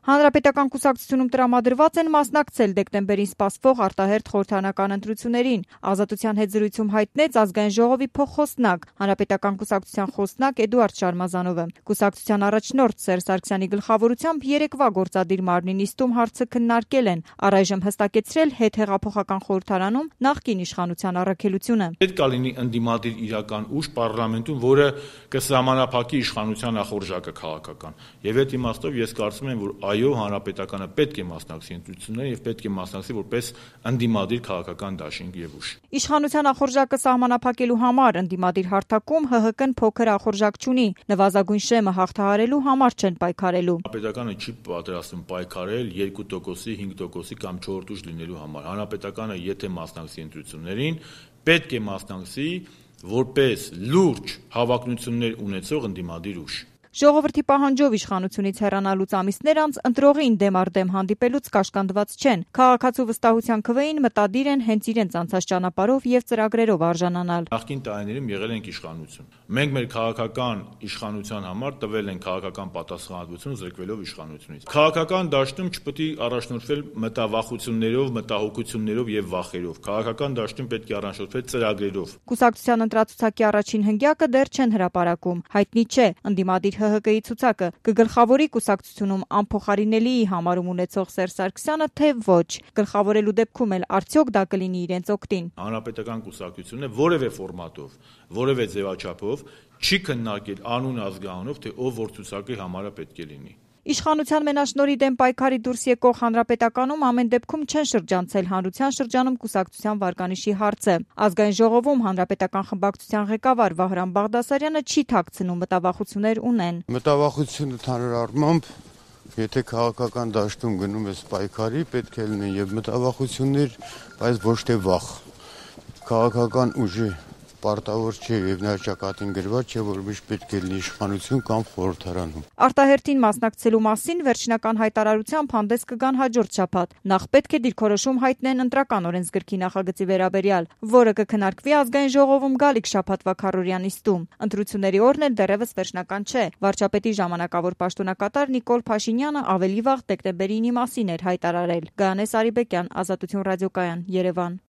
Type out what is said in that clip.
Հանրապետական կուսակցությունում տրամադրված են մասնակցել դեկտեմբերին սպասվող արտահերթ խորհրդարանական ընտրություններին։ Ազատության հետ զրույցում հայտնեց ազգային ժողովի փոխխոսնակ, Հանրապետական կուսակցության խոսնակ Էդուարդ Շարմազանովը։ Կուսակցության առաջնորդ Սերժ Սարգսյանի գլխավորությամբ երեկվա գործադիր մարմնի նիստում հարցը քննարկել են, առայժմ հստակեցրել հետհեղափոխական խորհրդարանում նախկին իշխանության առաքելությունը։ Պետք է լինի ընդդիմադիր իրական ուժ պարլամենտում, որը կսահմանափակի իշխանության նախորժակը քաղաքական։ Եվ այդ իմաստով ես կարծում եմ, որ այո, հանրապետականը պետք է մասնակցի ընտրություններին եւ պետք է մասնակցի որպես ընդդիմադիր քաղաքական դաշինք եւ ուժ։ Իշխանության նախորժակը սահմանափակելու համար ընդդիմադիր հարթակում ՀՀԿ-ն փոքր նախորժակ չունի, նվազագույն շեմը հաղթահարելու համար չեն պայքարելու։ Հանրապետականը չի պատրաստվում պայքարել 2%-ի, 5%-ի կամ 4% ուժ լինելու համար։ Հանրապետականը եթե մասնակցի ընտրություններին, պետք է մասնակցի որպես լուրջ հավակնություններ ունեցող ընդդիմադիր ուժ։ Ժողովրդի պահանջով իշխանությունից հեռանալուց ամիսներ անց ընտրողին դեմ առ դեմ հանդիպելուց կաշկանդված չեն։ Քաղաքացու վստահության քվեին մտադիր են հենց իրենց անցած ճանապարհով եւ ծրագրերով արժանանալ։ Նախկին տարիներում եղել ենք իշխանություն։ Մենք մեր քաղաքական իշխանության համար տվել ենք քաղաքական պատասխանատվություն զրկվելով իշխանությունից։ Քաղաքական դաշտում չպետք է առաջնորդվել մտավախություններով, մտահոգություններով եւ վախերով։ Քաղաքական դաշտում պետք է առաջնորդվել ծրագրերով։ Կուսակցության ընտրացուցակի առաջին հնգյակը դեռ չեն հրապարակում։ Հայտնի չէ ընդդիմադիր ՀՀԿ-ի ցուցակը կգլխավորի կուսակցությունում անփոխարինելի համարում ունեցող Սերժ Սարգսյանը, թե ոչ։ Գլխավորելու դեպքում էլ արդյոք դա կլինի իրենց օգտին։ Հանրապետական կուսակցությունը որևէ ֆորմատով, որևէ ձևաչափով չի քննարկել անուն ազգանունով, թե ով որ ցուցակի համարը պետք է լինի։ Իշխանության մենաշնորհի դեմ պայքարի դուրս եկող Հանրապետականում ամեն դեպքում չեն շրջանցել հանրության շրջանում կուսակցության վարկանիշի հարցը։ Ազգային ժողովում Հանրապետական խմբակցության ղեկավար Վահրամ Բաղդասարյանը չի թաքցնում մտավախություններ ունեն։ Մտավախությունը ընդհանուր առմամբ, եթե քաղաքական դաշտում գնում ես պայքարի, պետք է լինեն եւ մտավախություններ, բայց ոչ թե վախ։ Քաղաքական ուժի պարտավոր չէ եւ նրա ճակատին գրված չէ, որ միշտ պետք է լինի իշխանություն կամ խորհրդարանում։ Արտահերթին մասնակցելու մասին վերջնական հայտարարությամբ հանդես կգան հաջորդ շաբաթ։ Նախ պետք է դիրքորոշում հայտնեն ընտրական օրենսգրքի նախագծի վերաբերյալ, որը կքննարկվի ազգային ժողովում գալիք շաբաթվա քառօրյա նիստում։ Ընտրությունների օրն էլ դեռևս վերջնական չէ։ Վարչապետի ժամանակավոր պաշտոնակատար Նիկոլ Փաշինյանը ավելի վաղ դեկտեմբերի 9-ի մասին էր հայտարարել։ Գայանե Սարիբեկյան, Ազատություն ռադիոկայան, Երևան։